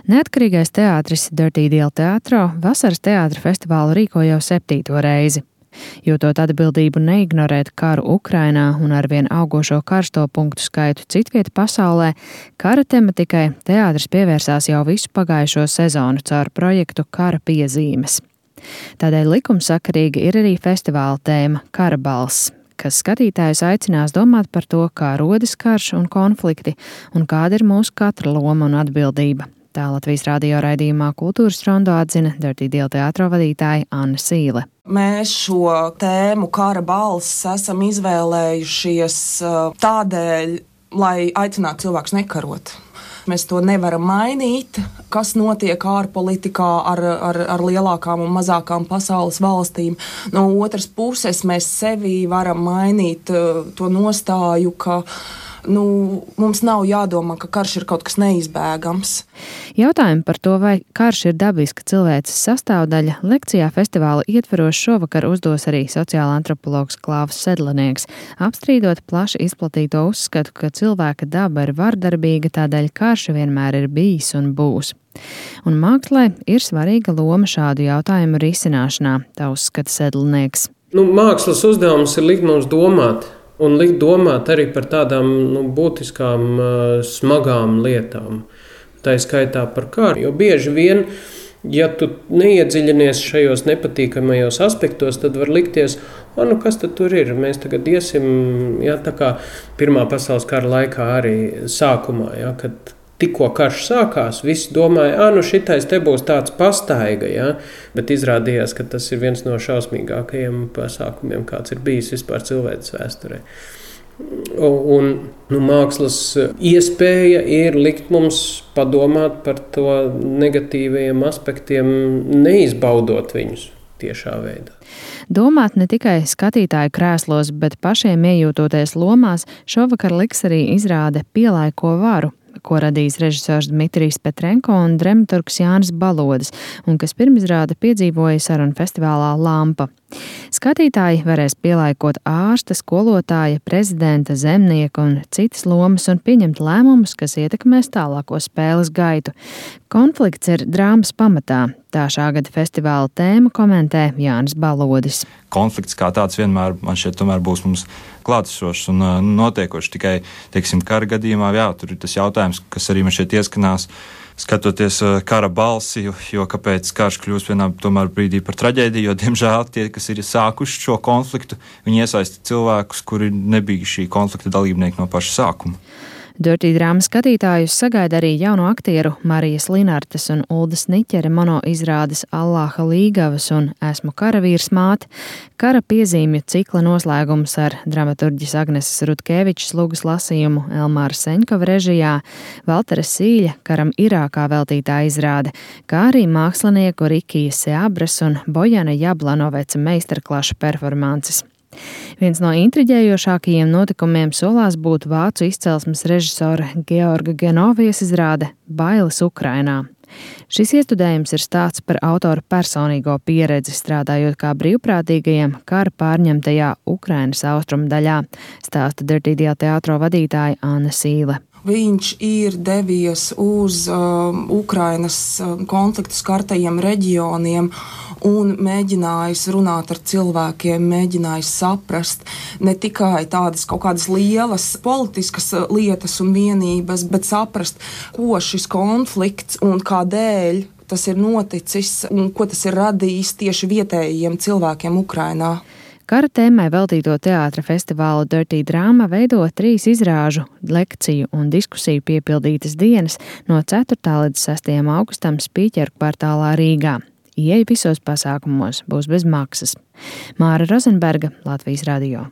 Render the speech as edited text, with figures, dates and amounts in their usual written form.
Neatkarīgais teātris Dirty Deal Teatro vasaras teātra festivālu rīko jau 7. reizi. Jūtot atbildību neignorēt karu Ukrainā un arvien augošo karsto punktu skaitu citviet pasaulē, kara tematikai teātris pievērsās jau visu pagājušo sezonu caur projektu Kara piezīmes. Tādēļ likumsakarīgi ir arī festivāla tēma Kara balss, kas skatītājus aicinās domāt par to, kā rodas karš un konflikti un kāda ir mūsu katra loma un atbildība. Tā Latvijas radio raidījumā Kultūras rondo atzina Dirty Deal teātro vadītāja Anna Sīle. Mēs šo tēmu Kara balss esam izvēlējušies tādēļ, lai aicinātu cilvēkus nekarot. Mēs to nevaram mainīt, kas notiek ārpolitikā ar lielākām un mazākām pasaules valstīm. No otras puses, mēs sevī varam mainīt to nostāju, ka mums nav jādomā, ka karš ir kaut kas neizbēgams. Jautājumu par to, vai karš ir dabiska cilvēces sastāvdaļa, lekcijā festivāla ietveros šovakar uzdos arī sociāla antropologs Klāvs Sedlnieks, apstrīdot plaši izplatīto uzskatu, ka cilvēka daba ir vardarbīga, tādēļ karš vienmēr ir bijis un būs. Un mākslē ir svarīga loma šādu jautājumu risināšanā, tā uzskata Sedlnieks. Mākslas uzdevums ir likt mums domāt. Un likt domāt arī par tādām būtiskām, smagām lietām. Tā ir skaitā par karu. Jo bieži vien, ja tu neiedziļinies šajos nepatīkamajos aspektos, tad var likties, kas tad tur ir? Mēs tagad iesim, tā kā Pirmā pasaules kara laikā arī sākumā, kad tikko karš sākās, visi domāja, šitais te būs tāds pastaiga, bet izrādījās, ka tas ir viens no šausmīgākajiem pasākumiem, kāds ir bijis vispār cilvēces vēsturē. Un mākslas iespēja ir likt mums padomāt par to negatīvajiem aspektiem, neizbaudot viņus tiešā veidā. Domāt ne tikai skatītāju krēslos, bet pašiem iejūtoties lomās, šovakar liks arī izrāde Pielaiko varu, ko radījis režisors Dmitrijs Petrenko un dramaturgs Jānis Balodis, un kas pirmizrāde piedzīvoja sarunu festivālā Lampa. Skatītāji varēs pielaikot ārsta, skolotāja, prezidenta, zemnieka un citas lomas un pieņemt lēmumus, kas ietekmēs tālāko spēles gaitu. Konflikts ir drāmas pamatā. Tā šā gada festivāla tēmu komentē Jānis Balodis. Konflikts kā tāds vienmēr, man šķiet, tomēr būs mums klātesošs un notiekošs. Tikai, kara gadījumā, tur ir tas jautājums, kas arī man šeit ieskanās, skatoties kara balsi, jo kāpēc karš kļūst vienā tomēr brīdī par traģēdiju, jo, diemžēl, tie, kas ir sākuši šo konfliktu, viņi iesaista cilvēkus, kuri nebija šī konflikta dalībnieki no paša sākuma. Dirty drāmas skatītājus sagaida arī jauno aktieru Marijas Linartes un Uldas Niķere mono izrādes Allāha līgavas un Esmu karavīrs māte, Kara piezīmju cikla noslēgums ar dramaturģis Agneses Rutkevičas lūgas lasījumu Elmāra Seņkova režijā, Valtera Sīļa Karam Irākā veltītā izrāde, kā arī mākslinieku Rikijas Seabras un Bojana Jablanoveca meistarklašu performances. Viens no intriģējošākajiem notikumiem solās būt vācu izcelsmes režisora Georga Genovijas izrāde Bailes Ukrainā. Šis iestudējums ir stāsts par autora personīgo pieredzi strādājot kā brīvprātīgajam kara pārņemtajā Ukrainas austrumu daļā, stāsta Dirty Deal teātro vadītāja Anna Sīle. Viņš ir devies uz Ukrainas konfliktu skartajiem reģioniem un mēģinājis runāt ar cilvēkiem, mēģinājis saprast ne tikai tādas kaut kādas lielas politiskas lietas un vienības, bet saprast, ko šis konflikts un kādēļ tas ir noticis un ko tas ir radījis tieši vietējiem cilvēkiem Ukrainā. Kara tēmai veltīto teātra festivālu Dirty Drama veido 3 izrāžu, lekciju un diskusiju piepildītas dienas no 4. līdz 6. augustam Spīķeru kvartālā Rīgā. Ieeja visos pasākumos būs bez maksas. Māra Rozenberga, Latvijas radio.